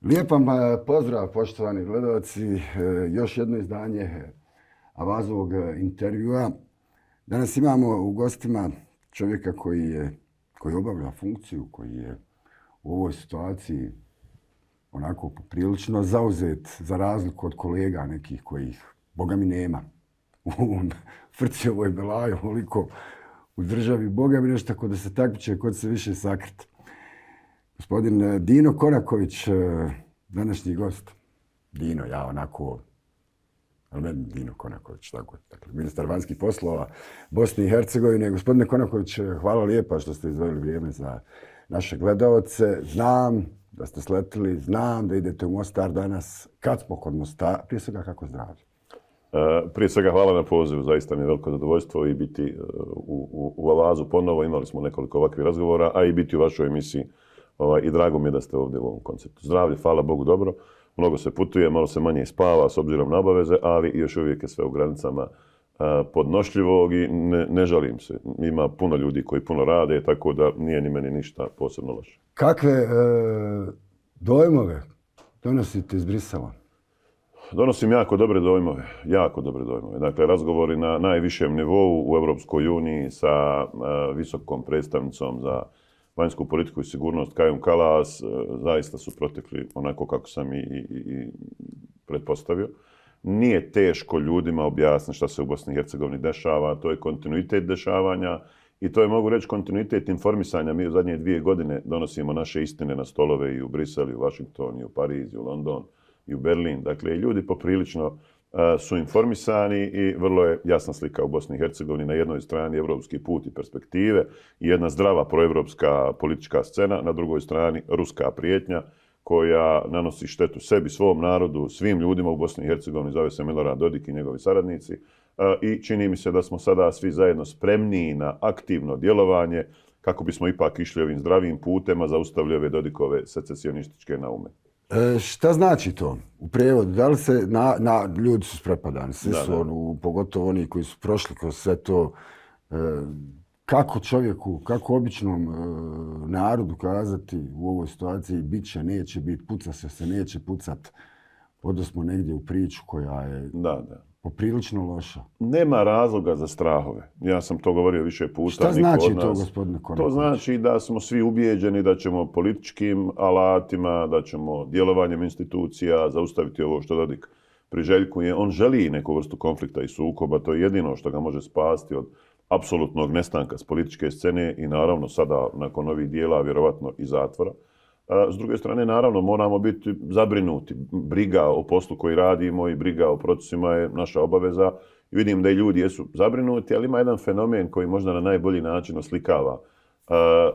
Lijep vam pozdrav, poštovani gledalci. Još jedno izdanje Avazovog intervjua. Danas imamo u gostima čovjeka koji obavlja funkciju, koji je u ovoj situaciji onako poprilično zauzet za razliku od kolega nekih kojih, boga mi, nema. U frci ovoj belaju, ovoliko u državi, boga mi, nešto tako da se takmiče kod se više sakriti. Gospodin Dino Konaković, današnji gost. Dino, ja onako, ali meni Dino Konaković, tako je. Dakle, ministar vanjskih poslova Bosne i Hercegovine. Gospodine Konaković, hvala lijepa što ste izdvojili vrijeme za naše gledaoce. Znam da ste sletili, znam da idete u Mostar danas. Kad smo kod Mostara, prije svega kako zdravlje? Prije svega hvala na pozivu, zaista mi je veliko zadovoljstvo i biti u Avazu ponovo. Imali smo nekoliko ovakvih razgovora, a i biti u vašoj emisiji. I drago mi je da ste ovdje u ovom konceptu. Zdravlje, hvala Bogu, dobro. Mnogo se putuje, malo se manje spava s obzirom na obaveze, ali još uvijek je sve u granicama podnošljivog i ne žalim se. Ima puno ljudi koji puno rade, tako da nije ni meni ništa posebno loše. Kakve dojmove donosite iz Brisela? Donosim jako dobre dojmove. Dakle, razgovori na najvišem nivou u Europskoj uniji sa visokom predstavnicom za vanjsku politiku i sigurnost Kajom Kallas zaista su protekli onako kako sam i pretpostavio. Nije teško ljudima objasniti šta se u Bosni i Hercegovini dešava, to je kontinuitet dešavanja i to je, mogu reći, kontinuitet informisanja. Mi u zadnje 2 godine donosimo naše istine na stolove i u Brisel, i u Washington, i u Pariz, i u London, i u Berlin. Dakle, ljudi poprilično su informisani i vrlo je jasna slika u Bosni i Hercegovini. Na jednoj strani evropski put i perspektive i jedna zdrava proevropska politička scena, na drugoj strani ruska prijetnja koja nanosi štetu sebi, svom narodu, svim ljudima u Bosni i Hercegovini, zove se Milorad Dodik i njegovi saradnici. I čini mi se da smo sada svi zajedno spremniji na aktivno djelovanje kako bismo ipak išli ovim zdravim putem, a zaustavili ove Dodikove secesionističke naume. Šta znači to u prijevodu? Da li se ljudi su sprepadani, svi su pogotovo oni koji su prošli kroz sve to. Kako čovjeku, kako običnom narodu kazati u ovoj situaciji bit će, neće biti, puca se, neće pucat. Odnosno negdje u priču koja je poprilično loša. Nema razloga za strahove. Ja sam to govorio više puta. Šta znači to, gospodine Konaković? To znači da smo svi ubijeđeni da ćemo političkim alatima, da ćemo djelovanjem institucija zaustaviti ovo što Dodik priželjkuje. On želi neku vrstu konflikta i sukoba. To je jedino što ga može spasti od apsolutnog nestanka s političke scene i naravno sada nakon ovih dijela vjerovatno i zatvora. S druge strane, naravno, moramo biti zabrinuti. Briga o poslu koji radimo i briga o procesima je naša obaveza. I vidim da i ljudi jesu zabrinuti, ali ima jedan fenomen koji možda na najbolji način oslikava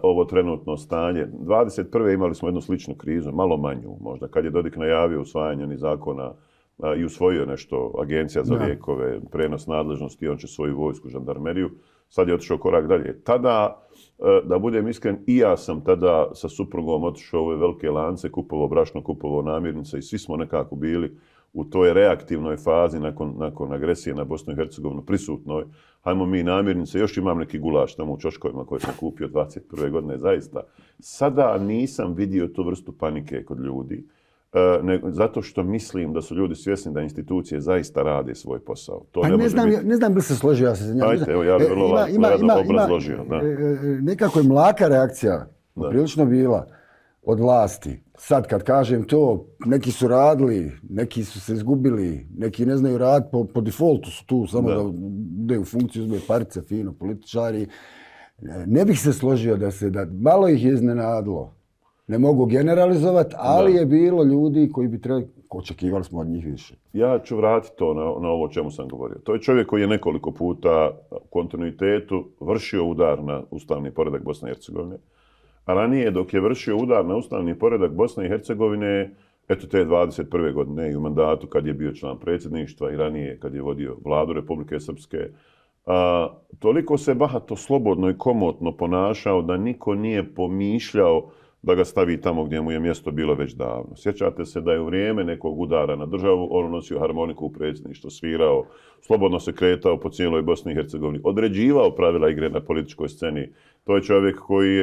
ovo trenutno stanje. 21. imali smo jednu sličnu krizu, malo manju možda, kad je Dodik najavio usvajanje onih zakona i usvojio nešto, Agencija za lijekove, prenos nadležnosti, on će svoju vojsku, žandarmeriju. Sad je otišao korak dalje. Tada, da budem iskren, i ja sam tada sa suprugom otišao u ove velike lance, kupovao brašno, kupovao namirnice i svi smo nekako bili u toj reaktivnoj fazi nakon agresije na Bosnu i Hercegovinu prisutnoj. Hajmo mi namirnice, još imam neki gulaš tamo u čoškovima koje sam kupio 21. godine, zaista. Sada nisam vidio tu vrstu panike kod ljudi. Zato što mislim da su ljudi svjesni da institucije zaista rade svoj posao. To ne znam bi se složio, ja se za njega. Ajde, evo ja bih vrlo obrazložio. Nekako je mlaka reakcija, prilično bila od vlasti. Sad kad kažem to, neki su radili, neki su se izgubili, neki ne znaju raditi, po defaultu su tu, samo da bude u funkciju, uzme parice, fino, političari. Ne bih se složio da malo ih je iznenadilo. Ne mogu generalizovati, ali je bilo ljudi koji bi trebali, očekivali smo od njih više. Ja ću vratiti to na ovo o čemu sam govorio. To je čovjek koji je nekoliko puta u kontinuitetu vršio udar na ustavni poredak Bosne i Hercegovine. A ranije, dok je vršio udar na ustavni poredak Bosne i Hercegovine, eto te 21. godine i u mandatu kad je bio član predsjedništva i ranije kad je vodio vladu Republike Srpske, toliko se bahato, slobodno i komotno ponašao da niko nije pomišljao da ga stavi tamo gdje mu je mjesto bilo već davno. Sjećate se da je u vrijeme nekog udara na državu on nosio harmoniku u predsjedništvu, svirao, slobodno se kretao po cijeloj Bosni i Hercegovini, određivao pravila igre na političkoj sceni To je čovjek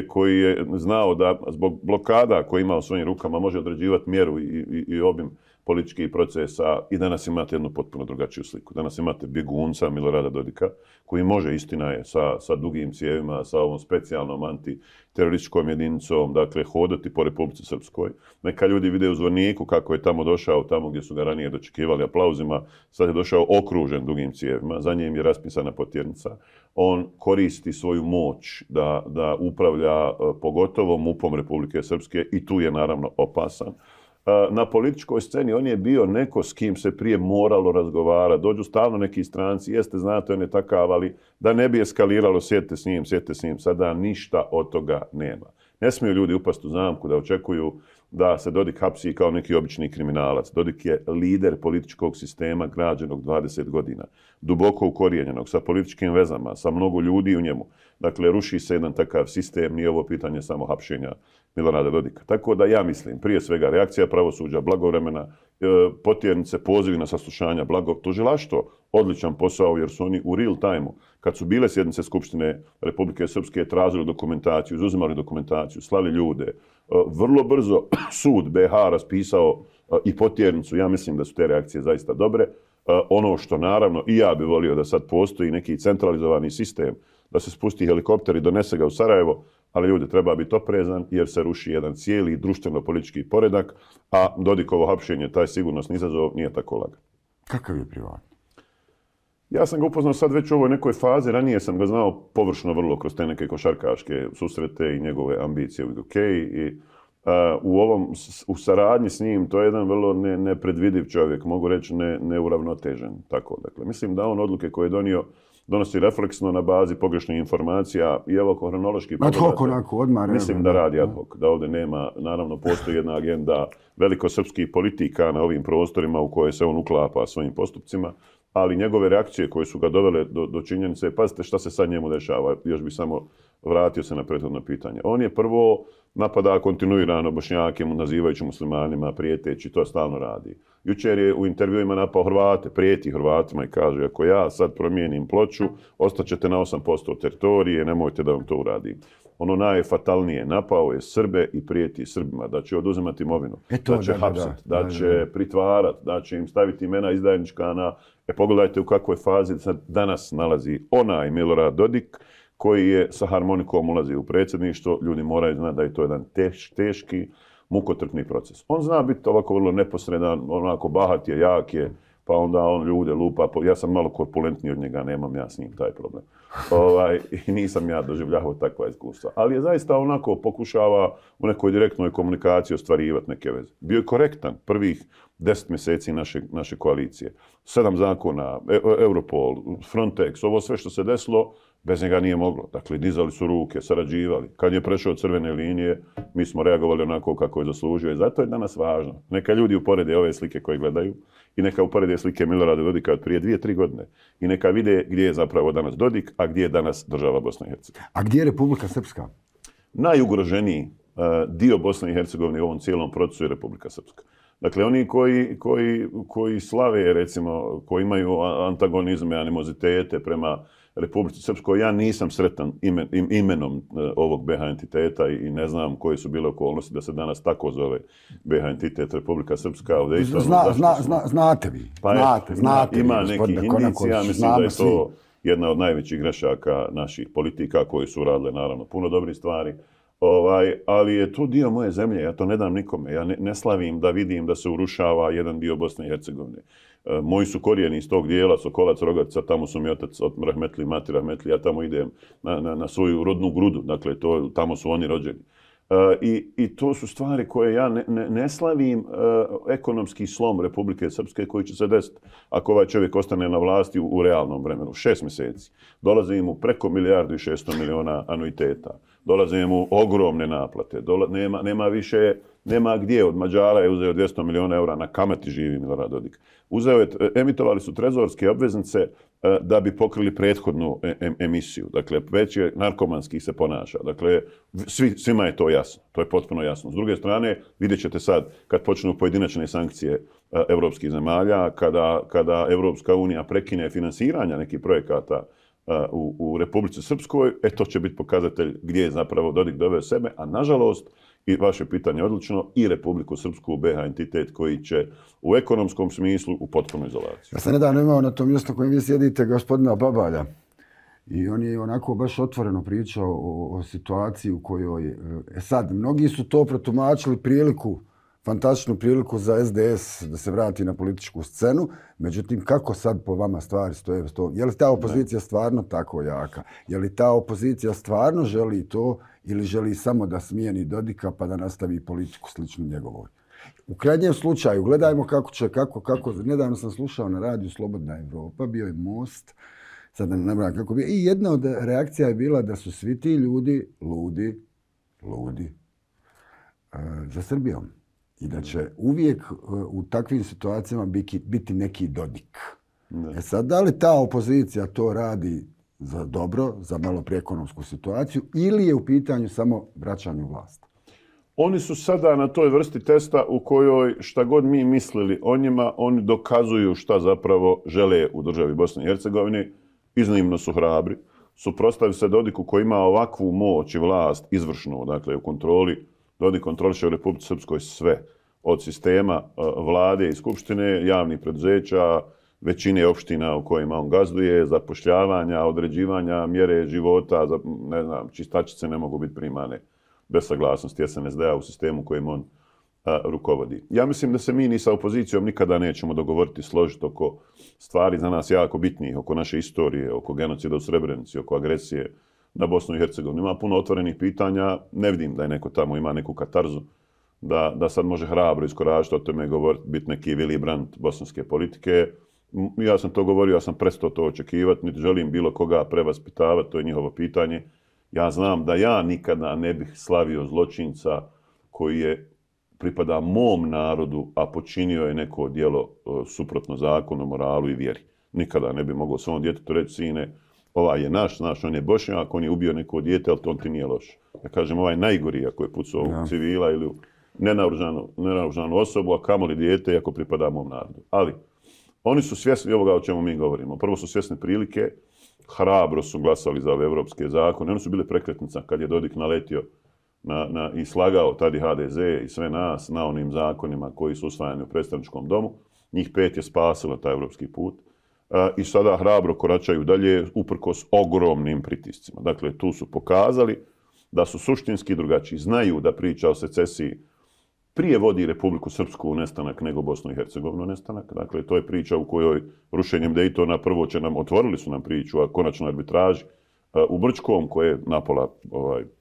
koji je znao da zbog blokada koje ima u svojim rukama može određivati mjeru i obim političkih procesa i danas imate jednu potpuno drugačiju sliku. Danas imate bjegunca Milorada Dodika koji može, istina je, sa dugim cijevima, sa ovom specijalnom antiterorističkom jedinicom, dakle, hodati po Republici Srpskoj. Neka ljudi vide u Zvorniku kako je tamo došao, tamo gdje su ga ranije dočekivali aplauzima, sad je došao okružen dugim cijevima, za njim je raspisana potjernica. On koristi svoju moć da upravlja pogotovo MUP-om Republike Srpske i tu je naravno opasan. Na političkoj sceni on je bio neko s kim se prije moralo razgovarati. Dođu stalno neki stranci, jeste, znate, on je takav, ali da ne bi eskaliralo, sjedite s njim. Sada ništa od toga nema. Ne smiju ljudi upasti u zamku da očekuju da se Dodik hapsi kao neki obični kriminalac. Dodik je lider političkog sistema građenog 20 godina, duboko ukorijenjenog, sa političkim vezama, sa mnogo ljudi u njemu. Dakle, ruši se jedan takav sistem, nije ovo pitanje samo hapšenja Milorada Dodika. Tako da ja mislim, prije svega, reakcija pravosuđa, blagovremena, potjernice, pozivi na saslušanja, tužilaštvo, odličan posao jer su oni u real time-u, kad su bile sjednice Skupštine Republike Srpske, tražili dokumentaciju, izuzimali dokumentaciju, slali ljude. Vrlo brzo sud BiH raspisao i potjernicu. Ja mislim da su te reakcije zaista dobre. Ono što naravno i ja bi volio da sad postoji neki centralizovani sistem, da se spusti helikopter i donese ga u Sarajevo, ali ljudi, treba biti oprezan jer se ruši jedan cijeli društveno-politički poredak, a Dodikovo hapšenje, taj sigurnosni izazov, nije tako lagan. Kakav je privatno? Ja sam ga upoznao sad već u ovoj nekoj fazi, ranije sam ga znao površno vrlo kroz te neke košarkaške susrete i njegove ambicije u UK. U saradnji s njim to je jedan vrlo nepredvidiv čovjek, mogu reći neuravnotežen. Tako, dakle, mislim da on odluke koje je donosi refleksno na bazi pogrešnih informacija i evo kronološki pogledate. Mislim da radi ad hoc, da ovdje nema, naravno postoji jedna agenda velikosrpskih politika na ovim prostorima u koje se on uklapa svojim postupcima, ali njegove reakcije koje su ga dovele do činjenice, pazite šta se sad njemu dešava, još bi samo vratio se na prethodno pitanje. On je prvo napada kontinuirano Bošnjake, nazivajući muslimanima, prijeteći, to stalno radi. Jučer je u intervjuima napao Hrvate, prijeti Hrvatima i kaže, ako ja sad promijenim ploču, ostaćete na 8% teritorije, nemojte da vam to uradim. Ono najfatalnije, napao je Srbe i prijeti Srbima, da će oduzimati imovinu, da će hapsati, da će pritvarati, da će im staviti imena izdajnička na... Pogledajte u kakvoj fazi se danas nalazi onaj Milorad Dodik, koji je sa harmonikom ulazi u predsjedništvo. Ljudi moraju znati da je to jedan teški, mukotrpni proces. On zna biti ovako vrlo neposredan, onako bahat je, jak je, pa onda on ljude lupa. Ja sam malo korpulentniji od njega, nemam ja s njim taj problem. I nisam ja doživljavao takva iskustva. Ali je zaista onako pokušava u nekoj direktnoj komunikaciji ostvarivati neke veze. Bio je korektan prvih 10 mjeseci naše koalicije. 7 zakona, Europol, Frontex, ovo sve što se desilo, bez njega nije moglo. Dakle, dizali su ruke, sarađivali. Kad je prešao crvene linije, mi smo reagovali onako kako je zaslužio. I zato je danas važno. Neka ljudi uporede ove slike koje gledaju i neka uporede slike Milorada Dodika od prije 2-3 godine. I neka vide gdje je zapravo danas Dodik, a gdje je danas država Bosna i Hercegovina. A gdje je Republika Srpska? Najugroženiji dio Bosne i Hercegovine u ovom cijelom procesu je Republika Srpska. Dakle, oni koji slave, recimo, koji imaju antagonizme, animozitete prema Republici Srpskoj, ja nisam sretan imenom ovog BiH entiteta i ne znam koje su bile okolnosti da se danas tako zove BiH entitet Republika Srpska. Znate vi. Ima nekih indicija, mislim da je to jedna od najvećih grešaka naših politika koji su radile, naravno, puno dobrih stvari. Ali je to dio moje zemlje, ja to ne dam nikome. Ja ne slavim da vidim da se urušava jedan dio Bosne i Hercegovine. Moji su korijeni iz tog dijela, Sokolac, Rogatica, tamo su mi otac od Rahmetli, mati Rahmetli, ja tamo idem na svoju rodnu grudu, dakle tamo su oni rođeni. I to su stvari koje ja ne slavim ekonomski slom Republike Srpske koji će se desiti ako ovaj čovjek ostane na vlasti u realnom vremenu. 6 mjeseci. Dolaze mu preko 1.600.000.000 anuiteta. Dolaze mu ogromne naplate. Nema gdje. Od Mađara je uzeo 200 milijuna eura, na kamati živi Milorad Dodik. Emitovali su trezorske obveznice da bi pokrili prethodnu emisiju. Dakle, već je narkomanski se ponaša. Dakle, svima je to jasno. To je potpuno jasno. S druge strane, vidjet ćete sad, kad počnu pojedinačne sankcije evropskih zemalja, kada Evropska unija prekine finansiranja nekih projekata u Republici Srpskoj, to će biti pokazatelj gdje je zapravo Dodik doveo sebe, a nažalost, i vaše pitanje je odlično, i Republiku Srpsku, BiH entitet koji će u ekonomskom smislu u potpunu izolaciju. Ja sam nedavno imao na tom mjestu kojem vi sjedite gospodina Babalja i on je onako baš otvoreno pričao o situaciji u kojoj... sad, mnogi su to protumačili fantastičnu priliku za SDS da se vrati na političku scenu. Međutim, kako sad po vama stvari stoje? Je li ta opozicija stvarno tako jaka? Je li ta opozicija stvarno želi to ili želi samo da smijeni Dodika pa da nastavi politiku sličnu njegovoj? U krajnjem slučaju, gledajmo kako nedavno sam slušao na radiju Slobodna Evropa, bio je Most, sad ne znam kako bio, i jedna od reakcija je bila da su svi ti ljudi ludi za Srbijom. I da će uvijek u takvim situacijama biti neki Dodik. Sad, da li ta opozicija to radi za dobro, za malo preekonomsku situaciju, ili je u pitanju samo vraćanje u vlast? Oni su sada na toj vrsti testa u kojoj šta god mi mislili o njima, oni dokazuju šta zapravo žele u državi Bosne i Hercegovine. Iznimno su hrabri. Suprotstavljaju se Dodiku koji ima ovakvu moć i vlast izvršnu, dakle u kontroli. Dodik kontroliše u Republici Srpskoj sve. Od sistema vlade i skupštine, javnih preduzeća, većine opština u kojima on gazduje, zapošljavanja, određivanja mjere života, ne znam, čistačice ne mogu biti primane bez saglasnosti SNSD-a u sistemu kojim on rukovodi. Ja mislim da se mi ni sa opozicijom nikada nećemo dogovoriti, složiti oko stvari za nas jako bitnih, oko naše istorije, oko genocida u Srebrenici, oko agresije na Bosnu i Hercegovinu. Ima puno otvorenih pitanja, ne vidim da je neko tamo ima neku katarzu, da sad može hrabro iskoračiti o tome govoriti, biti neki Willy Brandt bosanske politike. Ja sam to govorio, ja sam prestao to očekivati, niti želim bilo koga prevaspitavati, to je njihovo pitanje. Ja znam da ja nikada ne bih slavio zločinca koji je pripada mom narodu, a počinio je neko djelo suprotno zakonu, moralu i vjeri. Nikada ne bi mogao svom djetetu reći, sine, ovaj je naš, on je Bošnjak, on je ubio neko dijete, ali to ti nije loše. Ja kažem, ovaj najgori ako je pucao u civila ili u nenaoružanu osobu, a kamoli dijete ako pripada mom narodu. Ali oni su svjesni ovoga o čemu mi govorimo. Prvo su svjesni prilike, hrabro su glasali za ove evropske zakone. Oni su bili prekretnica kad je Dodik naletio i slagao tada HDZ i sve nas na onim zakonima koji su usvajani u predstavničkom domu. Njih 5 je spasilo taj evropski put. I sada hrabro koračaju dalje uprkos ogromnim pritiscima. Dakle, tu su pokazali da su suštinski drugačiji. Znaju da priča o secesiji prije vodi Republiku Srpsku u nestanak nego Bosnu i Hercegovinu u nestanak. Dakle, to je priča u kojoj rušenjem Dejtona prvo otvorili su nam priču o konačnoj arbitraži u Brčkom, koje je napola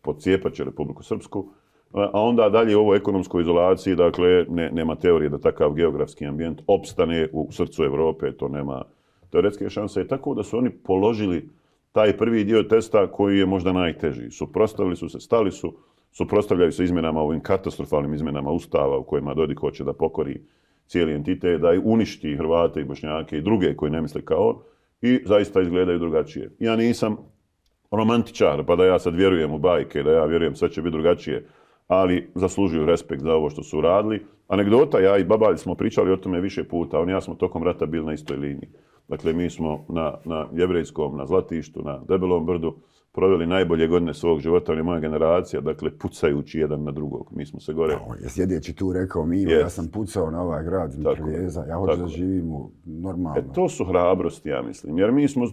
podcijepaće Republiku Srpsku, a onda dalje u ovoj ekonomskoj izolaciji, dakle, nema teorije da takav geografski ambijent opstane u srcu Evrope, to nema teoretske šanse. Tako da su oni položili taj prvi dio testa koji je možda najteži. Suprotstavili su se, stali su, suprotstavljaju se izmjenama, ovim katastrofalnim izmjenama Ustava u kojima Dodik hoće da pokori cijeli entitet, da uništi Hrvate i Bošnjake i druge koji ne misle kao on i zaista izgledaju drugačije. Ja nisam romantičar, pa da ja sad vjerujem u bajke, da ja vjerujem sve će biti drugačije, ali zaslužuju respekt za ovo što su uradili. Anegdota, ja i Babalj smo pričali o tome više puta, on i ja smo tokom rata bili na istoj liniji. Dakle, mi smo na Jevrejskom, na Zlatištu, na Debelom brdu proveli najbolje godine svog života, on je moja generacija, dakle, pucajući jedan na drugog. Mi smo se gore... Sjedjeći tu rekao Milo, ja sam pucao na ovaj grad Mitraljeza, ja hoću da živim normalno. To su hrabrosti, ja mislim, jer mi smo,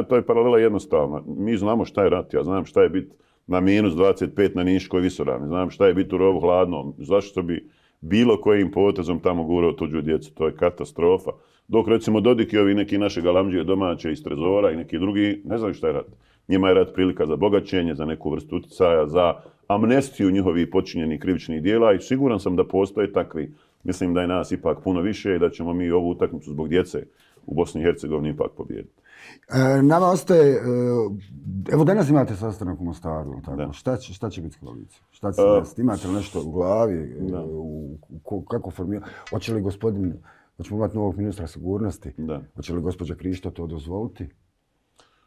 to je paralela jednostavna. Mi znamo šta je rat, ja znam šta je biti na minus 25 na Niškoj visorani, znam šta je biti u rovu hladnom, zašto bi bilo kojim potezom tamo gurao tuđu djecu, to je katastrofa. Dok recimo Dodik i ovi neki naše galamđije domaće iz Trezora i neki drugi, ne znaju šta je rat. Njima je rat prilika za bogaćenje, za neku vrstu uticaja, za amnestiju njihovih počinjenih krivičnih dijela i siguran sam da postoje takvi. Mislim da je nas ipak puno više i da ćemo mi ovu utakmicu zbog djece u Bosni i Hercegovini ipak pobijediti. Nama ostaje, evo danas imate sastanak u Mostaru, tako? Šta će biti s koalicijom? Šta će se desiti? Imate li nešto u glavi? Kako formirati? Hoće li hoćemo imati novog ministra sigurnosti? Hoće li gospođa Krišto to dozvoliti?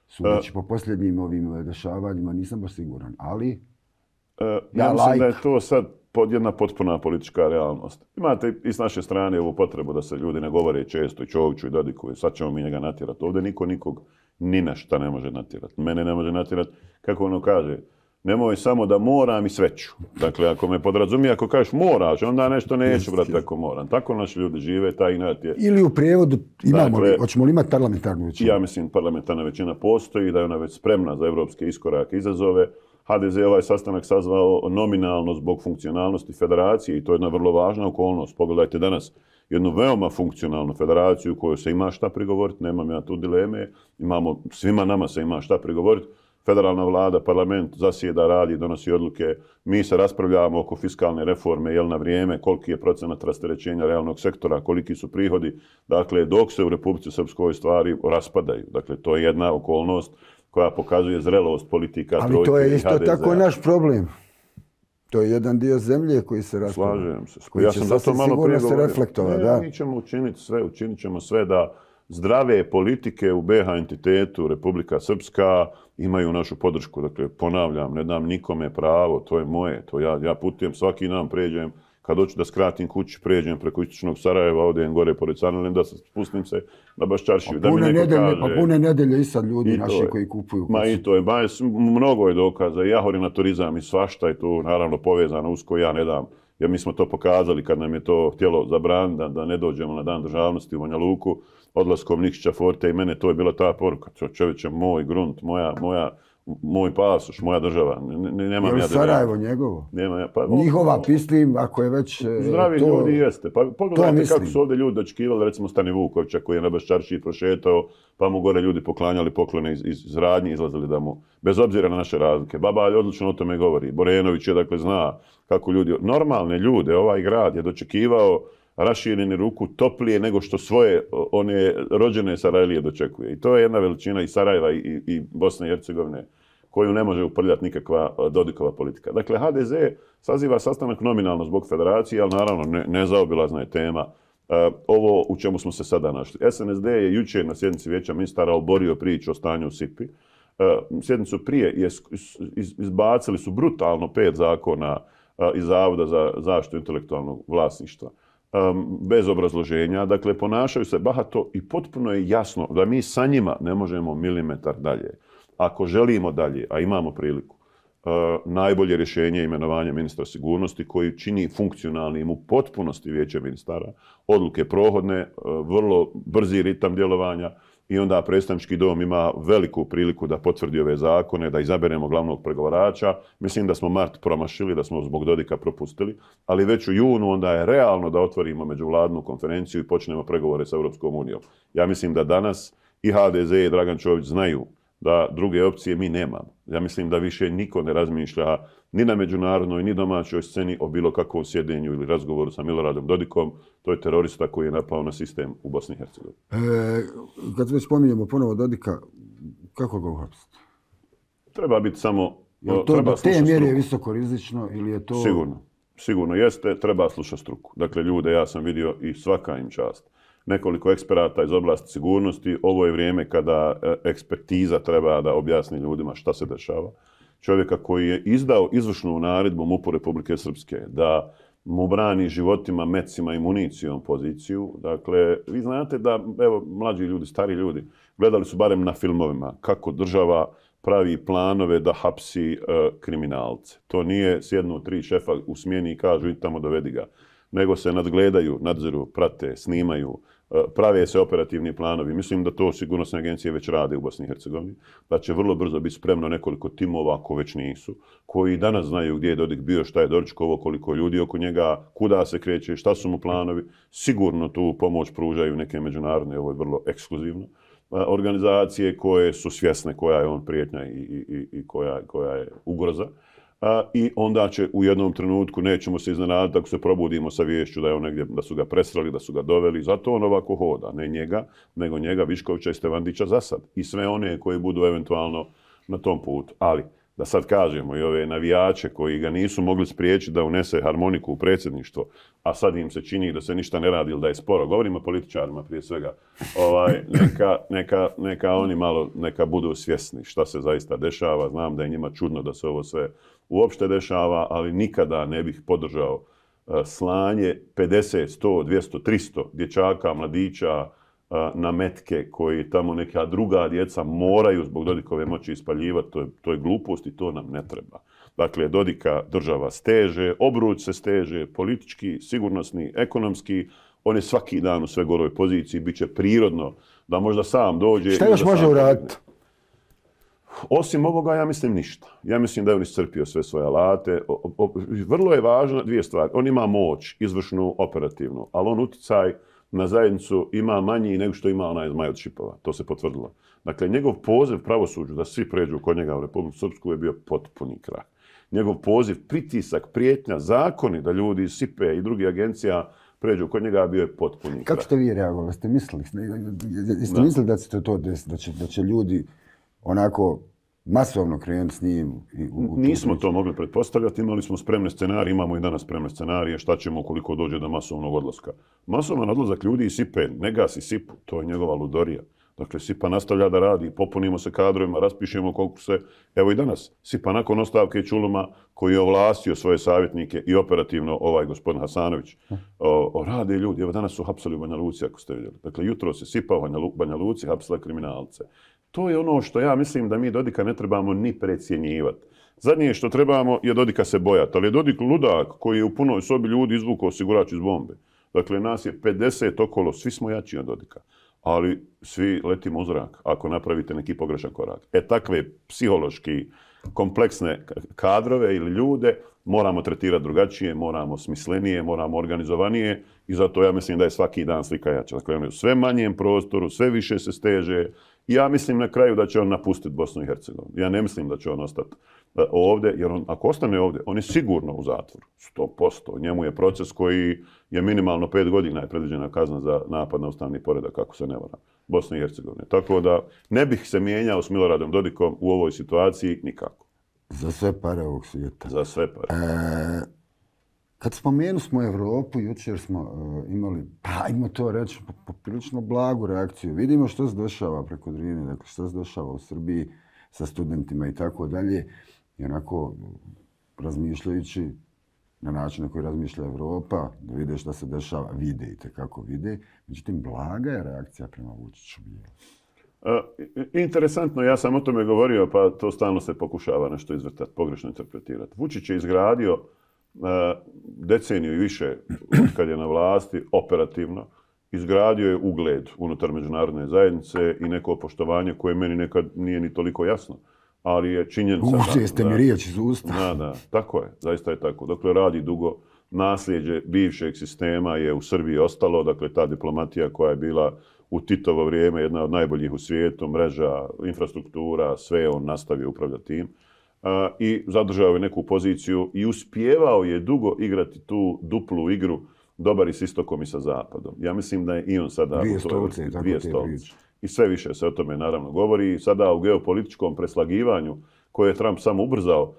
Sudeći po posljednjim ovim dešavanjima nisam baš siguran, ali... Ja mislim da je to sad jedna potpuna politička realnost. Imate i s naše strane ovu potrebu da se ljudi ne govore često i Čoviću i Dodiku i sad ćemo mi njega natjerati. Ovdje niko nikog ni na šta ne može natjerati. Mene ne može natjerati, kako ono kaže, nemoj samo da moram i sve ću. Dakle, ako me podrazumije, ako kažeš moraš, onda nešto neću, brate, ako moram. Tako naši ljudi žive, taj inat je... Ili u prijevodu imamo, hoćemo li imati parlamentarnu većinu? Ja mislim parlamentarna većina postoji, da je ona već spremna za evropske iskorake, izazove. HDZ je ovaj sastanak sazvao nominalno zbog funkcionalnosti federacije i to je jedna vrlo važna okolnost. Pogledajte danas jednu veoma funkcionalnu federaciju u kojoj se ima šta prigovoriti, nemam ja tu dileme, svima nama se ima šta prigovoriti. Federalna vlada, parlament zasjeda, radi, donosi odluke. Mi se raspravljamo oko fiskalne reforme, jel na vrijeme, koliki je procenat rasterećenja realnog sektora, koliki su prihodi. Dakle, dok se u Republici Srpskoj stvari raspadaju. Dakle, to je jedna okolnost koja pokazuje zrelost politika trojke i HDZ-a. Ali to je isto tako naš problem. To je jedan dio zemlje koji se raspada. Slažem se. Ja sam zato malo prije govorio. Mi ćemo učinit ćemo sve da zdrave politike u BiH entitetu Republika Srpska imaju našu podršku. Dakle, ponavljam, ne dam nikome pravo, to je moje. To ja putujem svaki dan, pređem, kad hoću da skratim kući, pređem preko istočnog Sarajeva, odem gore pored Sarnelem, da se spustim se na Baščaršiju. Da mi neko kaže... Pa pune nedelje i sad ljudi naši koji kupuju. Ma i to je, mnogo je dokaza. I jahori na turizam i svašta je tu naravno povezano usko, ja ne dam. Jer mi smo to pokazali kad nam je to htjelo zabraniti da ne dođemo na dan državnosti u Banja Luku, odlaskom Nikšića Forte i mene, to je bila ta poruka. Čovječe, moj grunt, moj pasoš, moja država. Nemam ja Sarajevo njegovo? Pa, njihova, mislim, ako je već... Zdravi ljudi jeste. Pa pogledajte kako su ovdje ljudi dočekivali, recimo Stani Vukovića koji je na Baščaršiji prošetao, pa mu gore ljudi poklanjali poklone iz radnji, izlazili da mu, bez obzira na naše razlike. Babalj odlično o tome govori. Borenović je, dakle, zna kako ljudi, normalne ljude, ovaj grad je dočekivao rašireni ruku toplije nego što svoje one rođene Sarajlije dočekuje. I to je jedna veličina i Sarajeva i Bosne i Hercegovine koju ne može uprljati nikakva Dodikova politika. Dakle, HDZ saziva sastanak nominalno zbog federacije, ali naravno nezaobilazna je tema ovo u čemu smo se sada našli. SNSD je jučer na sjednici Vijeća ministara oborio priču o stanju u SIPI. Sjednicu prije izbacili su brutalno 5 zakona iz Zavoda za zaštitu intelektualnog vlasništva. Bez obrazloženja. Dakle, ponašaju se bahato i potpuno je jasno da mi sa njima ne možemo milimetar dalje. Ako želimo dalje, a imamo priliku, najbolje rješenje je imenovanje ministra sigurnosti koji čini funkcionalnim u potpunosti Vijeće ministara, odluke prohodne, vrlo brzi ritam djelovanja i onda predstavnički dom ima veliku priliku da potvrdi ove zakone, da izaberemo glavnog pregovarača. Mislim da smo mart promašili, da smo zbog Dodika propustili, ali već u junu onda je realno da otvorimo međuvladnu konferenciju i počnemo pregovore sa Europskom unijom. Ja mislim da danas i HDZ i Dragan Čović znaju da druge opcije mi nemamo. Ja mislim da više niko ne razmišlja ni na međunarodnoj, ni domaćoj sceni o bilo kakvom sjedenju ili razgovoru sa Miloradom Dodikom. To je terorista koji je napao na sistem u Bosni i Hercegovini. Kad već spominjemo ponovo Dodika, kako ga uhapsiti? Treba biti samo... Je to do te mjere visoko rizično ili je to... Sigurno jeste, treba slušati struku. Dakle, ljude ja sam vidio i svaka im čast. Nekoliko eksperata iz oblasti sigurnosti. Ovo je vrijeme kada ekspertiza treba da objasni ljudima šta se dešava. Čovjeka koji je izdao izvršnu naredbu MUP-u Republike Srpske da mu brani životima, mecima i municijom poziciju. Dakle, vi znate da, evo, mlađi ljudi, stari ljudi, gledali su barem na filmovima kako država pravi planove da hapsi kriminalce. To nije sjednu 3 šefa u smjeni i kažu idi tamo dovedi ga, nego se nadgledaju, nadziru, prate, snimaju, prave se operativni planovi. Mislim da to sigurnosne agencije već rade u Bosni i Hercegovini, da će vrlo brzo biti spremno nekoliko timova, ako već nisu, koji danas znaju gdje je Dodik bio, šta je doručkovo, koliko ljudi oko njega, kuda se kreće, šta su mu planovi. Sigurno tu pomoć pružaju neke međunarodne, ovo je vrlo ekskluzivno, organizacije koje su svjesne koja je on prijetnja i koja je ugroza. I onda će u jednom trenutku, nećemo se iznenaditi ako se probudimo sa viješću da je on negdje, da su ga presreli, da su ga doveli. Zato on ovako hoda. Ne njega, nego njega, Viškovića i Stevandića za sad. I sve one koji budu eventualno na tom putu. Ali, da sad kažemo i ove navijače koji ga nisu mogli spriječiti da unese harmoniku u predsjedništvo, a sad im se čini da se ništa ne radi ili da je sporo. Govorimo o političarima prije svega. Neka oni malo neka budu svjesni šta se zaista dešava. Znam da je njima čudno da se ovo sve uopšte dešava, ali nikada ne bih podržao slanje 50, 100, 200, 300 dječaka, mladića na metke koji tamo neka druga djeca moraju zbog Dodikove moći ispaljivati, to je glupost i to nam ne treba. Dakle, Dodika država steže, obruč se steže, politički, sigurnosni, ekonomski, on je svaki dan u sve goroj poziciji, bit će prirodno da možda sam dođe... Šta još može uraditi? Osim ovoga, ja mislim ništa. Ja mislim da je on iscrpio sve svoje alate. Vrlo je važno dvije stvari. On ima moć, izvršnu, operativnu, ali on uticaj na zajednicu ima manji nego što ima onaj Zmaj od Šipova. To se potvrdilo. Dakle, njegov poziv pravosuđu da svi pređu kod njega u Republiku Srpsku je bio potpuni krah. Njegov poziv, pritisak, prijetnja, zakoni da ljudi iz SIPE i drugih agencija pređu kod njega bio je potpuni krah. Kako ste vi reagovali? Jeste mislili da će to desiti? Da će ljudi onako masovno krenuti s njim? Nismo to mogli pretpostavljati, imali smo spremne scenarije, imamo i danas spremne scenarije, šta ćemo ukoliko dođe do masovnog odlaska. Masovan odlazak ljudi iz SIPE, ne gasi SIPu, to je njegova ludorija. Dakle, SIPA nastavlja da radi, popunimo se kadrovima, raspišemo konkurse. Evo i danas, SIPA nakon ostavke Čuluma, koji je ovlastio svoje savjetnike i operativno ovaj gospodin Hasanović, rade ljudi. Evo danas su hapsali u Banja Luci, ako ste vidjeli. Dakle, jutro se SIPA u Banja Luci hapsila kriminalce. To je ono što ja mislim da mi Dodika ne trebamo ni precjenjivati. Zadnje što trebamo je Dodika se bojati, ali je Dodik ludak koji je u punoj sobi ljudi izvukao osigurač iz bombe. Dakle, nas je 50 okolo, svi smo jači od Dodika, ali svi letimo u zrak ako napravite neki pogrešan korak. Takve psihološki kompleksne kadrove ili ljude moramo tretirati drugačije, moramo smislenije, moramo organizovanije i zato ja mislim da je svaki dan slika jača. Dakle, on je u sve manjem prostoru, sve više se steže. Ja mislim na kraju da će on napustiti Bosnu i Hercegovinu. Ja ne mislim da će on ostati ovdje, jer ako ostane ovdje, on je sigurno u zatvoru. 100%. Njemu je proces koji je minimalno 5 godina je predviđena kazna za napad na ustavni poredak, kako se ne varam, Bosne i Hercegovine. Tako da ne bih se mijenjao s Miloradom Dodikom u ovoj situaciji nikako. Za sve pare ovog svijeta. Za sve pare. Kad spomenu smo Evropu, jučer smo imali, ajmo to reći, poprilično blagu reakciju. Vidimo što se dešava preko Drine, dakle što se dešava u Srbiji sa studentima i tako dalje. I onako, razmišljajući na način na koji razmišlja Evropa, da vide što se dešava, vide i tekako vide. Međutim, blaga je reakcija prema Vučiću. Interesantno, ja sam o tome govorio, pa to stalno se pokušava nešto izvrtati, pogrešno interpretirati. Vučić je izgradio deceniju i više kad je na vlasti, operativno, izgradio je ugled unutar međunarodne zajednice i neko poštovanje koje meni nekad nije ni toliko jasno, ali je činjenica... Jeste mi riječ iz usta. Da, tako je, zaista je tako. Dakle, radi dugo, nasljeđe bivšeg sistema je u Srbiji ostalo, dakle, ta diplomatija koja je bila u Titovo vrijeme jedna od najboljih u svijetu, mreža, infrastruktura, sve on nastavio upravljati tim. I zadržao je neku poziciju i uspijevao je dugo igrati tu duplu igru, dobar i s istokom i sa zapadom. Ja mislim da je i on sada... Dvije stolice. I sve više se o tome naravno govori. Sada u geopolitičkom preslagivanju koje je Trump samo ubrzao,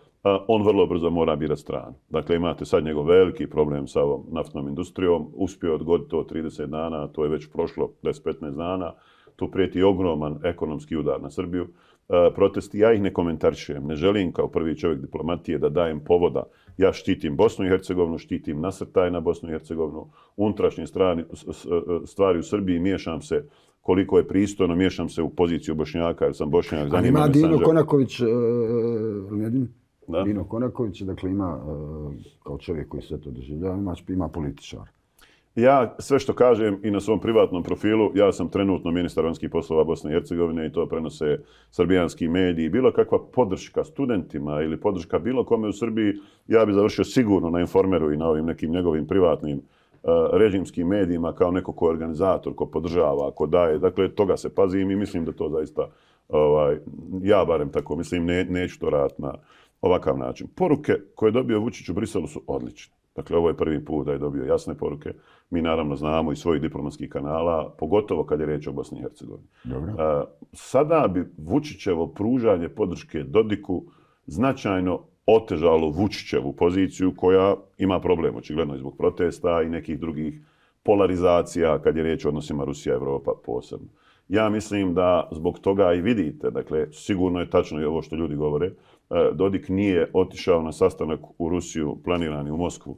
on vrlo brzo mora birati stranu. Dakle, imate sad njegov veliki problem sa ovom naftnom industrijom. Uspio odgoditi to 30 dana, to je već prošlo 10-15 dana. Tu prijeti ogroman ekonomski udar na Srbiju. Protesti, ja ih ne komentarišem, ne želim kao prvi čovjek diplomatije da dajem povoda. Ja štitim Bosnu i Hercegovinu, štitim nasrtaj na Bosnu i Hercegovinu, unutrašnje stvari u Srbiji, miješam se koliko je pristojno, miješam se u poziciju Bošnjaka, jer sam Bošnjak. Ali ima Dino Konaković, Dino Konaković, dakle ima kao čovjek koji sve to doživljava, ima političar. Ja sve što kažem i na svom privatnom profilu, ja sam trenutno ministar vanjskih poslova Bosne i Hercegovine i to prenose srbijanski mediji. Bilo kakva podrška studentima ili podrška bilo kome u Srbiji, ja bi završio sigurno na Informeru i na ovim nekim njegovim privatnim režimskim medijima kao neko ko je organizator, ko podržava, ko daje. Dakle, toga se pazim i mislim da to zaista, ja barem tako mislim, neću to raditi na ovakav način. Poruke koje je dobio Vučić u Briselu su odlične. Dakle, ovo je prvi put da je dobio jasne poruke. Mi naravno znamo iz svojih diplomatskih kanala, pogotovo kad je riječ o Bosni i Hercegovini. Sada bi Vučićevo pružanje podrške Dodiku značajno otežalo Vučićevu poziciju koja ima problem, očigledno i zbog protesta i nekih drugih polarizacija kad je riječ o odnosima Rusija-Evropa posebno. Ja mislim da zbog toga i vidite, dakle, sigurno je tačno i ovo što ljudi govore, Dodik nije otišao na sastanak u Rusiju, planirani u Moskvu,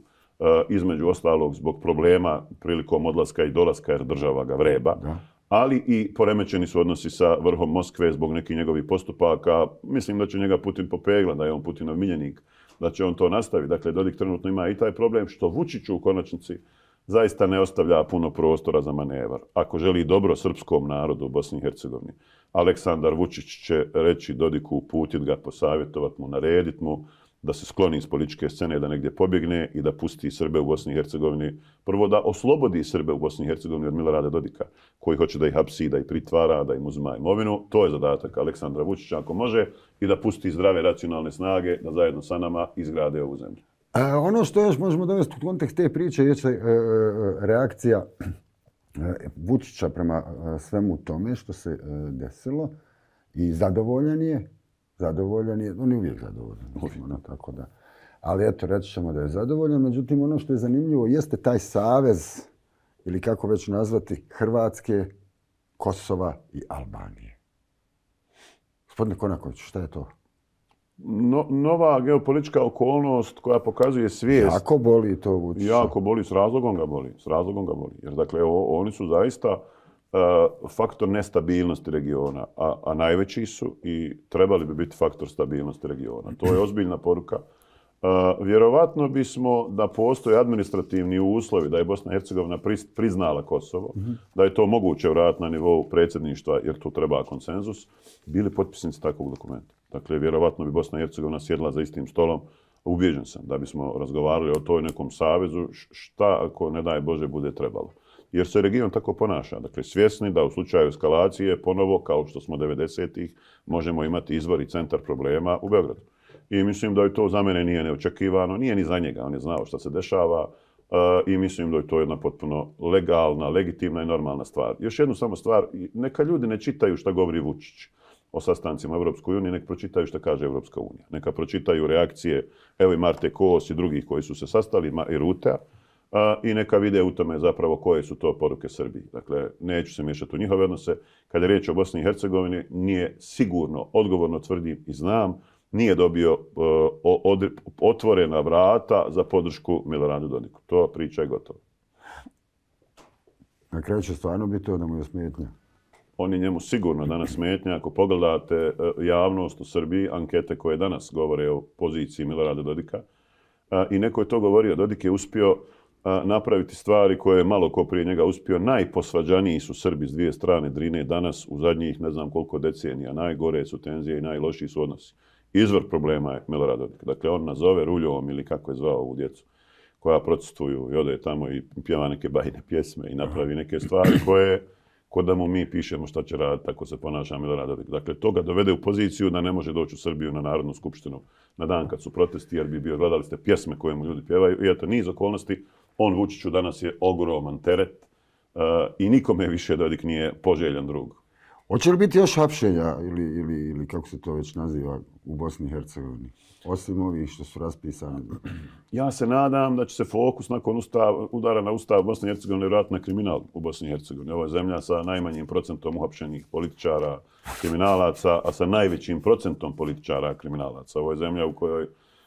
između ostalog zbog problema prilikom odlaska i dolaska jer država ga vreba. ali i poremećeni su odnosi sa vrhom Moskve zbog nekih njegovih postupaka. Mislim da će njega Putin popegla, da je on Putinov miljenik, da će on to nastaviti. Dakle, Dodik trenutno ima i taj problem što Vučiću u konačnici zaista ne ostavlja puno prostora za manevar. Ako želi dobro srpskom narodu u Bosni i Hercegovini, Aleksandar Vučić će reći Dodiku, uputiti ga, posavjetovati mu, narediti mu da se skloni iz političke scene, da negdje pobjegne i da pusti Srbe u Bosni i Hercegovini. Prvo da oslobodi Srbe u Bosni i Hercegovini od Milorada Dodika, koji hoće da ih hapsi, da ih pritvara, da im uzima imovinu. To je zadatak Aleksandra Vučića ako može i da pusti zdrave racionalne snage da zajedno sa nama izgrade ovu zemlju. Ono što još možemo dovesti u kontekst te priče je reakcija Vučića prema svemu tome što se desilo i zadovoljan je, on je uvijek zadovoljan, tako da. Ali eto, reći ćemo da je zadovoljan, međutim ono što je zanimljivo jeste taj savez, ili kako već nazvati, Hrvatske, Kosova i Albanije. Gospodine Konakoviću, šta je to? Nova geopolitička okolnost koja pokazuje svijest. Jako boli to Vučića. Jako boli, s razlogom ga boli. Jer dakle, oni su zaista faktor nestabilnosti regiona, a najveći su i trebali bi biti faktor stabilnosti regiona. To je ozbiljna poruka. Vjerovatno bismo da postoje administrativni uslovi, da je Bosna i Hercegovina priznala Kosovo, da je to moguće vratiti na nivou predsjedništva, jer tu treba konsenzus, bili potpisnici takvog dokumenta. Dakle, vjerovatno bi Bosna i Hercegovina sjedla za istim stolom. Ubijeđen sam da bismo razgovarali o toj nekom savezu, šta ako, ne daj Bože, bude trebalo. Jer se region tako ponaša. Dakle, svjesni da u slučaju eskalacije, ponovo, kao što smo 90-ih, možemo imati izvor i centar problema u Beogradu. I mislim da je to za mene nije neočekivano, nije ni za njega, on je znao šta se dešava i mislim da je to jedna potpuno legalna, legitimna i normalna stvar. Još jednu samo stvar, neka ljudi ne čitaju šta govori Vučić o sastancima Evropskoj uniji, neka pročitaju šta kaže Evropska unija. Neka pročitaju reakcije, evo i Marte Kos i drugih koji su se sastali, i Rutea, i neka vide u tome zapravo koje su to poruke Srbiji. Dakle, neću se miješati u njihove odnose. Kada je riječ o Bosni i Hercegovini, nije sigurno, odgovorno tvrdim i znam, nije dobio otvorena vrata za podršku Miloradu Dodiku. To priča je gotova. Na kraju će stvarno biti to da mu je smetnja. On je njemu sigurno danas smetnja. Ako pogledate javnost u Srbiji, ankete koje danas govore o poziciji Milorada Dodika, i neko je to govorio, Dodik je uspio napraviti stvari koje je malo ko prije njega uspio. Najposvađaniji su Srbi s dvije strane Drine danas u zadnjih ne znam koliko decenija. Najgore su tenzije i najlošiji su odnosi. Izvor problema je Milorad Dodik. Dakle, on nazove Ruljovom ili kako je zvao ovu djecu koja protestuju i ode tamo i pjeva neke bajne pjesme i napravi neke stvari koje, kod da mu mi pišemo šta će raditi, tako se ponaša Milorad Dodik. Dakle, to ga dovede u poziciju da ne može doći u Srbiju na Narodnu skupštinu na dan kad su protesti, jer bi bio, gledali ste pjesme koje mu ljudi pjevaju. I eto, niz okolnosti. On Vučiću danas je ogroman teret i nikome više Dodik nije poželjan drug. Hoće li biti još hapšenja ili kako se to već naziva u Bosni i Hercegovini? Osim ovih što su raspisani. Ja se nadam da će se fokus nakon udara na Ustav Bosne i Hercegovine vratiti na kriminal u Bosni i Hercegovini. Ovo je zemlja sa najmanjim procentom uhapšenih političara, kriminalaca, a sa najvećim procentom političara, kriminalaca. Ovo je zemlja u kojoj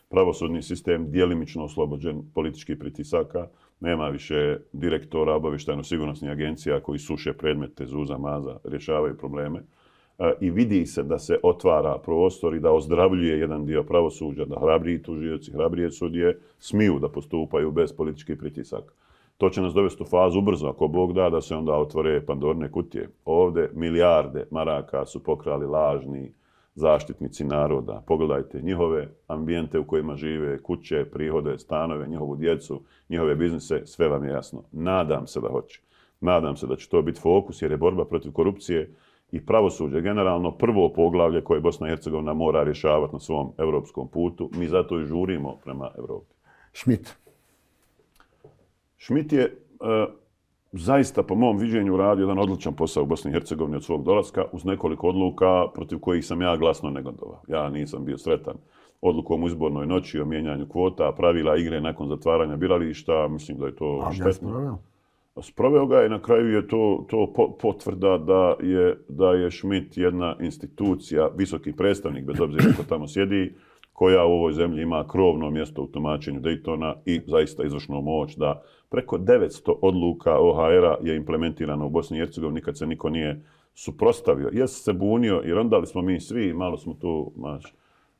pravosudni sistem djelimično oslobođen političkih pritisaka. Nema više direktora obavještajno-sigurnosnih agencija koji suše predmete zuza maza, rješavaju probleme. I vidi se da se otvara prostor i da ozdravljuje jedan dio pravosuđa, da hrabriji tužioci, hrabrije sudije smiju da postupaju bez političkih pritisaka. To će nas dovesti u fazu ubrzo, ako Bog da se onda otvore Pandorine kutije. Ovdje milijarde maraka su pokrali lažni zaštitnici naroda. Pogledajte njihove ambijente u kojima žive, kuće, prihode, stanove, njihovu djecu, njihove biznise, sve vam je jasno. Nadam se da hoće. Nadam se da će to biti fokus jer je borba protiv korupcije i pravosuđe generalno prvo poglavlje koje Bosna i Hercegovina mora rješavati na svom europskom putu. Mi zato i žurimo prema Evropi. Schmidt je zaista, po mom viđenju, radio jedan odličan posao u Bosni i Hercegovini od svog dolaska uz nekoliko odluka protiv kojih sam ja glasno negodovao. Ja nisam bio sretan odlukom u izbornoj noći o mijenjanju kvota, pravila igre nakon zatvaranja birališta. Mislim da je to štetno. Sproveo ga i na kraju je to potvrda da je Schmidt jedna institucija, visoki predstavnik, bez obzira ko tamo sjedi, koja u ovoj zemlji ima krovno mjesto u tumačenju Daytona i zaista izvršnu moć da preko 900 odluka OHR-a je implementirano u Bosni i Hercegovini, nikad se niko nije suprotstavio. Jes se bunio i rondali smo mi svi, malo smo tu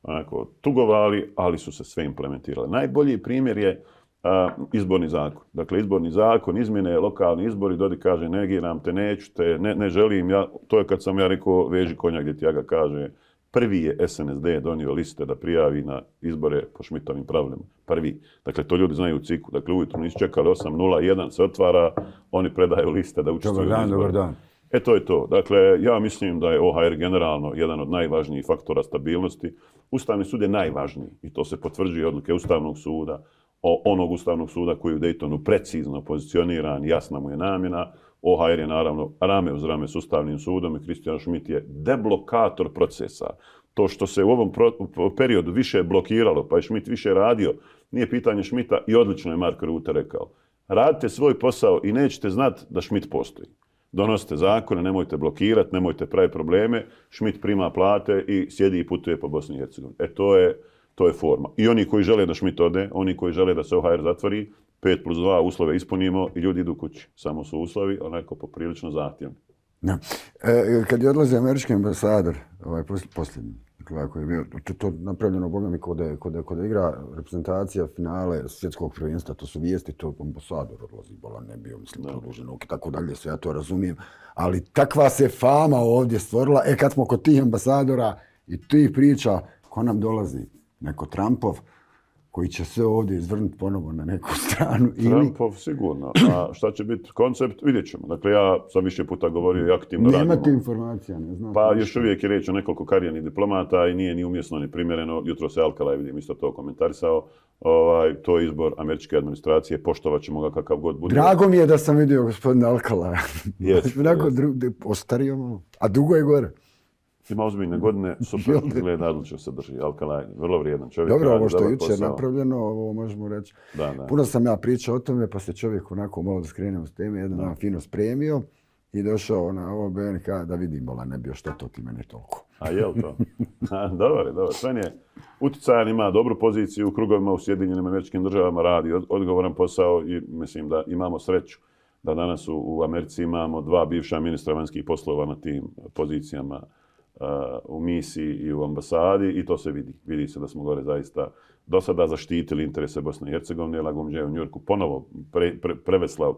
onako tugovali, ali su se sve implementirale. Najbolji primjer je izborni zakon. Dakle, izborni zakon, izmjene, lokalni izbori, Dodik kaže negiram te, neću te, ne želim. To je kad sam ja rekao veži konja gdje ti ja ga kaže. Prvi je SNSD donio liste da prijavi na izbore po Šmitovim pravilima. Prvi. Dakle, to ljudi znaju u ciku. Dakle, ujutro nisu čekali 8:01 se otvara, oni predaju liste da učestvuju na izbore. Dobar dan. To je to. Dakle, ja mislim da je OHR generalno jedan od najvažnijih faktora stabilnosti. Ustavni sud je najvažniji i to se potvrđuje odluke Ustavnog suda, onog Ustavnog suda koji je u Daytonu precizno pozicioniran, jasna mu je namjena. OHR je naravno rame uz rame s Ustavnim sudom i Kristijan Schmidt je deblokator procesa. To što se u ovom periodu više blokiralo, pa je Schmidt više radio, nije pitanje Schmidta i odlično je Mark Rutte rekao. Radite svoj posao i nećete znati da Schmidt postoji. Donosite zakone, nemojte blokirati, nemojte praviti probleme. Schmidt prima plate i sjedi i putuje po Bosni i Hercegovini. To je forma. I oni koji žele da Schmidt ode, oni koji žele da se OHR zatvori, 5+2 uslove ispunimo i ljudi idu kući. Samo su uslovi onako poprilično zahtjevni. Ja. Kad je odlazi američki ambasador, posljednji, koji je bio, to napravljeno bogami kod igra reprezentacija finale svjetskog prvenstva, to su vijesti, to ambasador odlazi, bolan ne bio, mislim, produženog i tako dalje, sve ja to razumijem. Ali takva se fama ovdje stvorila, kad smo kod tih ambasadora i tih priča, ko nam dolazi? Neko Trumpov, koji će sve ovdje izvrnuti ponovo na neku stranu. Trumpov sigurno. A šta će biti koncept, vidjet ćemo. Dakle, ja sam više puta govorio i aktivno radimo. Nemate informacija, ne znam. Pa još uvijek je riječ o nekoliko karijernih diplomata i nije ni umjesno ni primjereno. Jutro se Alcala, vidim, isto to komentarisao. To je izbor američke administracije, poštovat ćemo ga kakav god bude. Drago mi je da sam vidio gospodina Alcala. Ostario malo. A dugo je gore. Ima ozbiljne godine, super gleda, odlično se drži. Alcala je vrlo vrijedan čovjek. Dobro, ovo što je jučer napravljeno, ovo možemo reći. Da. Puno sam ja pričao o tome, pa se čovjek onako malo da skrenemo s teme, jedan dan fino spremio i došao na ovo BNK da vidim, bola, ne bio što to ti mene toliko. A jel to? Dobar. Sven je utjecajan, ima dobru poziciju u krugovima u Sjedinjenim Američkim Državama, radi odgovoran posao i mislim da imamo sreću da danas u Americi imamo 2 bivša ministra vanjskih poslova na tim pozicijama u misiji i u ambasadi i to se vidi. Vidi se da smo gore zaista do sada zaštitili interese Bosne i Hercegovine. Lagumdže je u Njujorku ponovo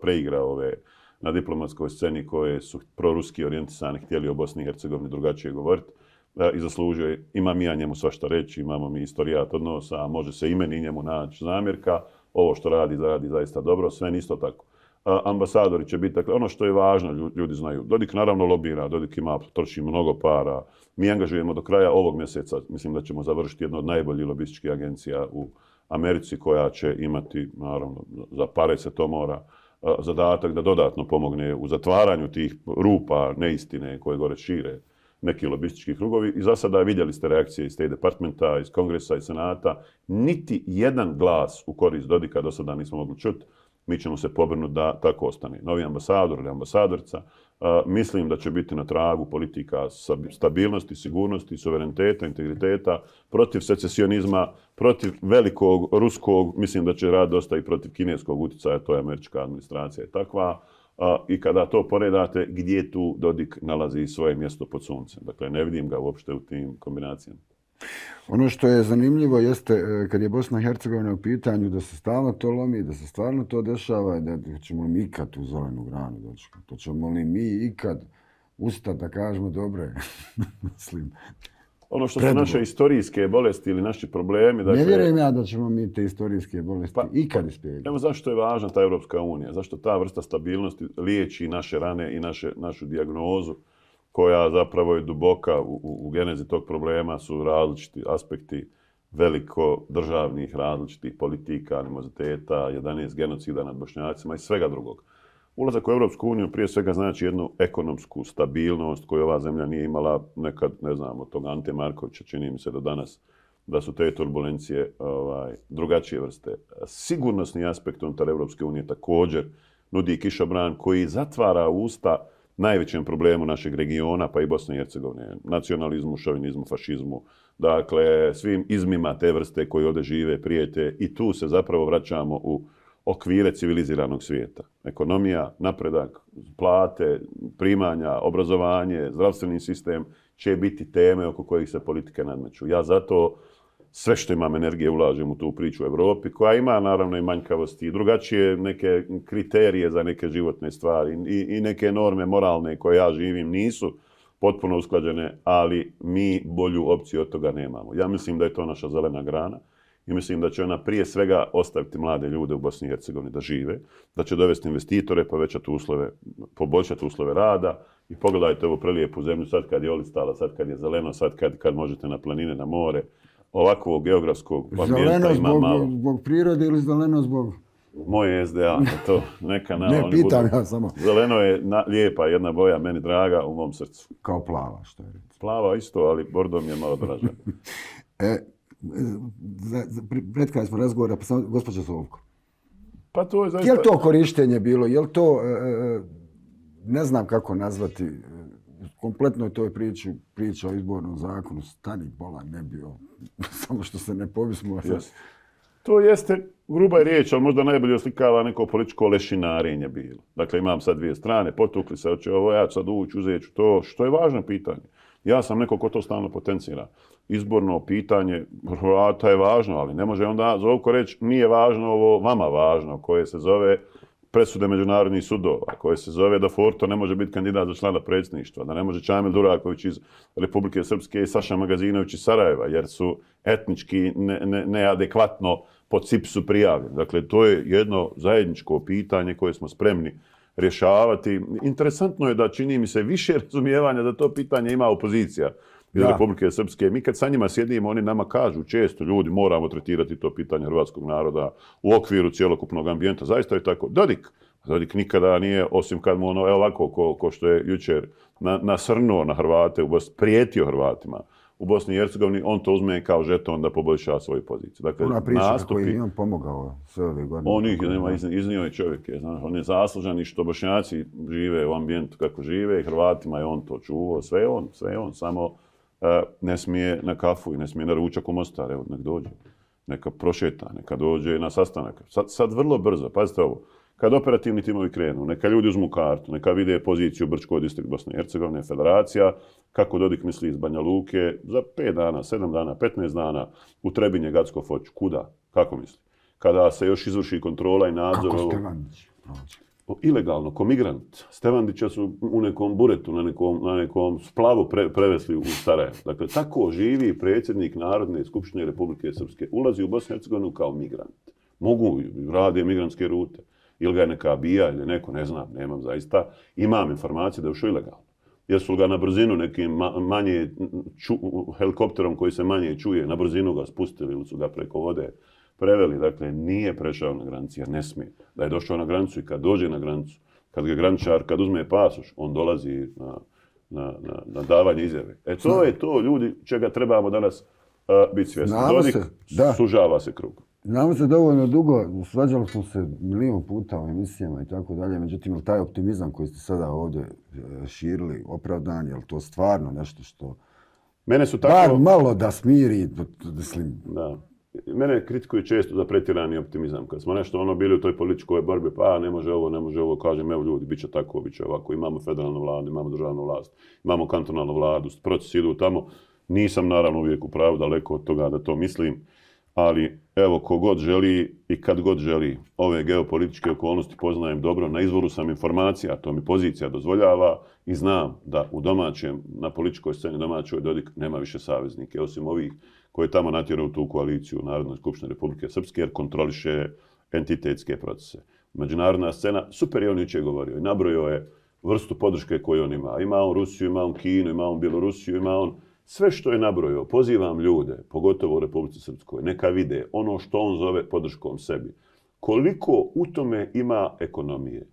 preigrao ove na diplomatskoj sceni koje su proruski orijentisani, htjeli o Bosni i Hercegovini drugačije govoriti i zaslužio je. Imam ja njemu svašta reći, imamo mi istorijat odnosa, a može se i meni i njemu naći zamjerka. Ovo što radi zaista dobro, sve isto tako. Ambasadori će biti, dakle, ono što je važno, ljudi znaju. Dodik naravno lobira, Dodik troši mnogo para. Mi angažujemo do kraja ovog mjeseca, mislim da ćemo završiti jednu od najboljih lobističkih agencija u Americi koja će imati, naravno, za pare se to mora, zadatak da dodatno pomogne u zatvaranju tih rupa, neistine koje gore šire neki lobistički krugovi. I za sada vidjeli ste reakcije iz State Departmenta, iz Kongresa i Senata. Niti jedan glas u korist Dodika do sada nismo mogli čuti. Mi ćemo se pobrinuti da tako ostane. Novi ambasador ili ambasadorica, mislim da će biti na tragu politika stabilnosti, sigurnosti, suvereniteta, integriteta, protiv secesionizma, protiv velikog ruskog, mislim da će rad dosta i protiv kineskog utjecaja, to je američka administracija je takva. I kada to poredate, gdje tu Dodik nalazi svoje mjesto pod suncem. Dakle, ne vidim ga uopšte u tim kombinacijama. Ono što je zanimljivo jeste kad je Bosna i Hercegovina u pitanju da se stalno to lomi, da se stvarno to dešava, da ćemo li mi ikad u zelenu granu doći. To ćemo li mi ikad ustati da kažemo dobre, mislim. Ono što su naše historijske bolesti ili naši problemi... Dakle, ne vjerujem ja da ćemo mi te historijske bolesti ikad ispijeti. Evo zašto je važna ta Europska unija, zašto ta vrsta stabilnosti liječi naše rane i našu dijagnozu koja zapravo je duboka u genezi tog problema, su različiti aspekti veliko državnih različitih politika, animoziteta, 11 genocida nad Bošnjacima i svega drugog. Ulazak u Europsku uniju prije svega znači jednu ekonomsku stabilnost koju ova zemlja nije imala nekad, ne znam, od tog Ante Markovića, čini mi se do danas, da su te turbulencije drugačije vrste. Sigurnosni aspekt unutar Europske unije također nudi kišobran koji zatvara usta najvećem problemu našeg regiona, pa i Bosne i Hercegovine, nacionalizmu, šovinizmu, fašizmu, dakle svim izmima te vrste koji ovdje žive, prijete i tu se zapravo vraćamo u okvire civiliziranog svijeta. Ekonomija, napredak, plate, primanja, obrazovanje, zdravstveni sistem će biti teme oko kojih se politike nadmeću. Ja zato sve što imam energije ulažem u tu priču u Evropi, koja ima naravno i manjkavosti i drugačije neke kriterije za neke životne stvari i neke norme moralne koje ja živim nisu potpuno usklađene, ali mi bolju opciju od toga nemamo. Ja mislim da je to naša zelena grana i mislim da će ona prije svega ostaviti mlade ljude u Bosni i Hercegovini da žive, da će dovesti investitore, povećati uslove, poboljšati uslove rada i pogledajte ovu prelijepu zemlju sad kad je olistala, sad kad je zeleno, sad kad možete na planine, na more. Ovakvog geografskog ambijenta ima malo. Zbog prirode ili zeleno zbog... Moje SDA, to neka na... Ne, pitam ja samo. Zeleno je lijepa jedna boja, meni draga, u mom srcu. Kao plava, što je reći. Plava isto, ali bordo mi je malo draža. Pred kada smo razgovora, pa samo gospođa Sovko. Pa to je zaista... Je li to korištenje bilo? Je li to, ne znam kako nazvati, kompletno je to priča o izbornom zakonu, stani bola ne bio, samo što se ne povismo. To jeste gruba riječ, ali možda najbolje oslikava neko političko lešinarenje bilo. Dakle, imam sad dvije strane, potukli se, hoće ovo, ja ću sad ući, uzet ću to, što je važno pitanje. Ja sam neko ko to stalno potencira. Izborno pitanje Hrvata je važno, ali ne može onda Zovko reći nije važno ovo vama važno, koje se zove presude međunarodnih sudova, koje se zove da Forto ne može biti kandidat za člana predsjedništva, da ne može Čamil Duraković iz Republike Srpske i Saša Magazinović iz Sarajeva, jer su etnički neadekvatno po CIPS-u prijavljeni. Dakle, to je jedno zajedničko pitanje koje smo spremni rješavati. Interesantno je da čini mi se više razumijevanja da to pitanje ima opozicija iz Republike Srpske. Mi kad sa njima sjedimo, oni nama kažu često, ljudi, moramo tretirati to pitanje hrvatskog naroda u okviru cjelokupnog ambijenta. Zaista je tako. Dodik nikada nije, osim kad mu ono, ovako, ko što je jučer nasrnuo na Hrvate, prijetio Hrvatima u Bosni i Hercegovini, on to uzme kao žeton da poboljša svoju poziciju. Dakle, ona priča kako je on pomogao sve ove godine. On ih nema, iznio je čovjek. On je zaslužan i što Bošnjaci žive u ambijentu kako žive i Hrvatima je on to čuvao. Sve je on, samo ne smije na kafu i ne smije na ručak u Mostar. Evo, nek dođe. Neka prošeta, neka dođe na sastanak. Sad vrlo brzo, pazite ovo. Kad operativni timovi krenu, neka ljudi uzmu kartu, neka vide poziciju Brčko distrikt Bosne i Hercegovine, federacija, kako Dodik misli iz Banja Luke, za 5 dana, 7 dana, 15 dana u Trebinje, Gacko, Foč, kuda, kako misli? Kada se još izvrši kontrola i nadzor... Kako Stevandić prođe? Ilegalno, ko migrant. Stevandića su u nekom buretu, na nekom splavu prevesli u Sarajevo. Dakle, tako živi predsjednik Narodne skupštine Republike Srpske. Ulazi u Bosnu i Hercegovinu kao migrant. Mogu, rade migrantske rute. Ili ga je neka bija ili neko, ne znam, nemam zaista. Imam informacije da je ušao ilegalno. Jesu ga na brzinu nekim manje helikopterom koji se manje čuje, na brzinu ga spustili ili su ga preko vode preveli. Dakle, nije prešao na granici jer ne smije. Da je došao na granicu i kad dođe na granicu, kad uzme pasoš, on dolazi na davanje izjave. To je to, ljudi, čega trebamo danas biti svjesni. Dodik sužava se krug. Znamo se dovoljno dugo, svađali smo se milion puta u emisijama i tako dalje, međutim, taj optimizam koji ste sada ovdje širili, opravdan, je li to stvarno nešto što... Mene su tako... Bar malo da smiri, mislim... Da. Mene kritikuju često za pretjerani optimizam. Kad smo nešto bili u toj političkoj borbi, pa ne može ovo, kažem, evo ljudi, bit će tako, bit će ovako. Imamo federalnu vladu, imamo državnu vlast, imamo kantonalnu vladu, procesi idu tamo. Nisam naravno uvijek u pravu, daleko od toga da to mislim. Ali evo, ko god želi i kad god želi ove geopolitičke okolnosti poznajem dobro, na izvoru sam informacija, to mi pozicija dozvoljava i znam da u domaćem, na političkoj sceni domaćoj Dodik nema više saveznike, osim ovih koji tamo natjeraju tu koaliciju Narodne skupštine Republike Srpske jer kontroliše entitetske procese. Međunarodna scena, super je on jučer govorio i nabrojio je vrstu podrške koju on ima. Ima on Rusiju, ima on Kinu, ima on Bjelorusiju, ima on sve što je nabrojio. Pozivam ljude, pogotovo u Republici Srpskoj, neka vide ono što on zove podrškom sebi. Koliko u tome ima ekonomije,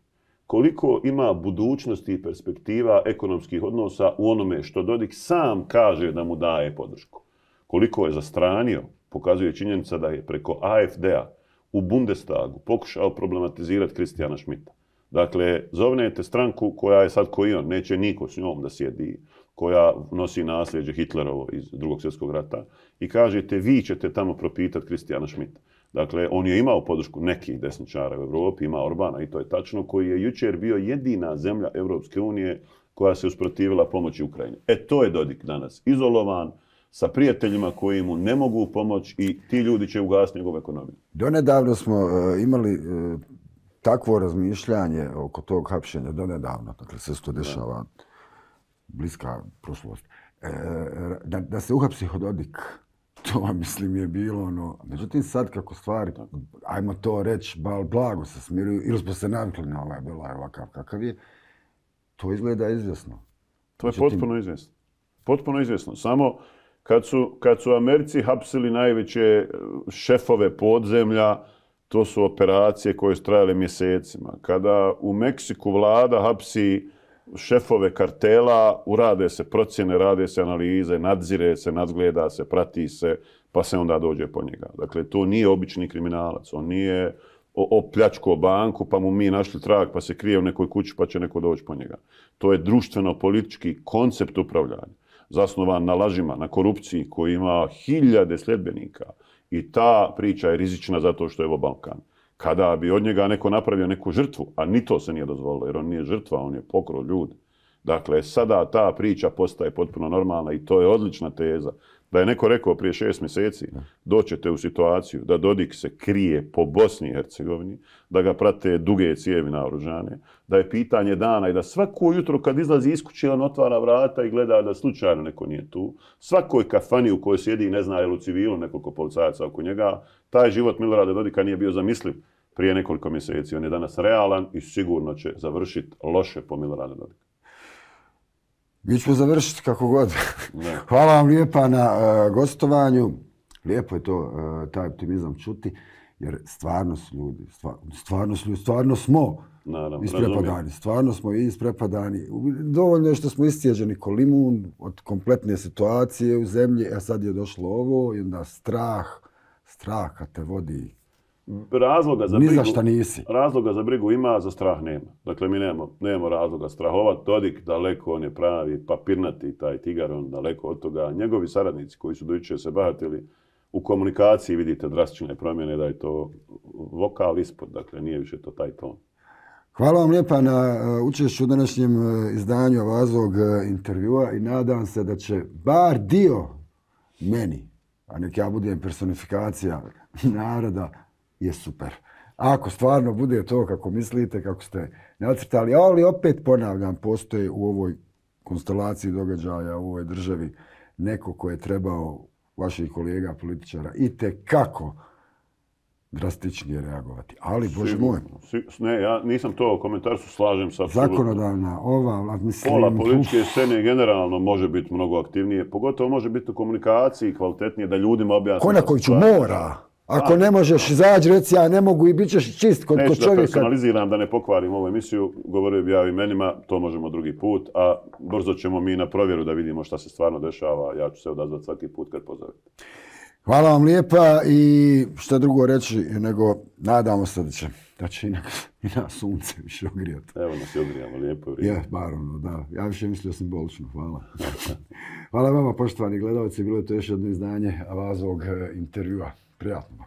koliko ima budućnosti i perspektiva ekonomskih odnosa u onome što Dodik sam kaže da mu daje podršku. Koliko je zastranio, pokazuje činjenica da je preko AfD-a u Bundestagu pokušao problematizirati Kristijana Schmidta. Dakle, zovnete stranku koja je sad koji on, neće niko s njom da sjedi, koja nosi nasljeđe Hitlerovo iz Drugog svjetskog rata i kažete vi ćete tamo propitati Kristijana Schmidta. Dakle, on je imao podršku nekih desničara u Evropi, ima Orbana i to je tačno, koji je jučer bio jedina zemlja Evropske unije koja se usprotivila pomoći Ukrajini. To je Dodik danas, izolovan, sa prijateljima koji mu ne mogu pomoći i ti ljudi će ugasiti njegovu ekonomiju. Donedavno smo imali takvo razmišljanje oko tog hapšenja, donedavno, dakle sve se to dešava bliska prošlost, da se uhapsi Dodik. To, mislim, je bilo ono... Međutim, sad kako stvari, ajmo to reći, blago se smiruju, ili smo se navikli na ovaj Belaj ovakav kakav je, to izgleda izvjesno. To je potpuno izvjesno. Potpuno izvjesno. Samo kad su Americi hapsili najveće šefove podzemlja, to su operacije koje su trajale mjesecima. Kada u Meksiku vlada hapsi šefove kartela, urade se procjene, rade se analize, nadzire se, nadgleda se, prati se, pa se onda dođe po njega. Dakle, to nije obični kriminalac. On nije opljačkao banku, pa mu mi našli trag, pa se krije u nekoj kući, pa će neko doći po njega. To je društveno-politički koncept upravljanja, zasnovan na lažima, na korupciji, koji ima hiljade sljedbenika. I ta priča je rizična zato što je ovo Balkan. Kada bi od njega neko napravio neku žrtvu, a ni to se nije dozvolilo, jer on nije žrtva, on je pokrao ljudi. Dakle, sada ta priča postaje potpuno normalna i to je odlična teza. Da je neko rekao prije 6 mjeseci, doćete u situaciju da Dodik se krije po Bosni i Hercegovini, da ga prate duge cijevi naoružane, da je pitanje dana i da svako jutro kad izlazi iz kuće on otvara vrata i gleda da slučajno neko nije tu. Svakoj kafani u kojoj sjedi ne zna je li u civilu nekoliko policajaca oko njega. Taj život Milorada Dodika nije bio zamisliv prije nekoliko mjeseci. On je danas realan i sigurno će završiti loše po Milorada Dodika. Mi ćemo završiti kako god. Hvala vam lijepa na gostovanju. Lijepo je to, taj optimizam čuti, jer stvarno su ljudi, stvarno smo isprepadani. Stvarno smo isprepadani. Dovoljno je što smo istjeđeni ko limun od kompletne situacije u zemlji, a sad je došlo ovo i onda strah kad te vodi. Razloga za brigu ima, za strah nema. Dakle, mi nemamo razloga strahovati. Dodik daleko, on je pravi papirnati, taj tigar, on daleko od toga. Njegovi saradnici koji su dojučer se bahatili u komunikaciji, vidite drastične promjene, da je to vokal ispod, dakle, nije više to taj ton. Hvala vam lijepa na učešću u današnjem izdanju Avazovog intervjua i nadam se da će bar dio meni, a nek ja budem personifikacija naroda, je super. Ako stvarno bude to kako mislite, kako ste nacrtali, ali opet ponavljam, postoje u ovoj konstelaciji događaja u ovoj državi neko ko je trebao, vaših kolega političara, itekako drastičnije reagovati. Ali, Bože moj. Ne, ja nisam to u komentarju, slažem se apsolutno. Zakonodavna, mislim... Pola političke scene generalno može biti mnogo aktivnije, pogotovo može biti u komunikaciji kvalitetnije da ljudima objasni... Konakoviću mora! Ako ne možeš izaći, reci ja ne mogu i bit ćeš čist kod čovjeka. Neću da personaliziram, da ne pokvarim ovu emisiju, govorio bi ja o imenima, to možemo drugi put, a brzo ćemo mi na provjeru da vidimo šta se stvarno dešava, ja ću se odazvati svaki put kad pozovete. Hvala vam lijepa i šta drugo reći nego nadamo se da će i na sunce više ogrijati. Evo nas i ogrijamo, lijepo vrijeme. Je, bar ono, da. Ja više mislio simbolično, hvala. Hvala vama, poštovani gledalci, bilo je to još jedno izdanje Avazovog intervjua. Prijatno.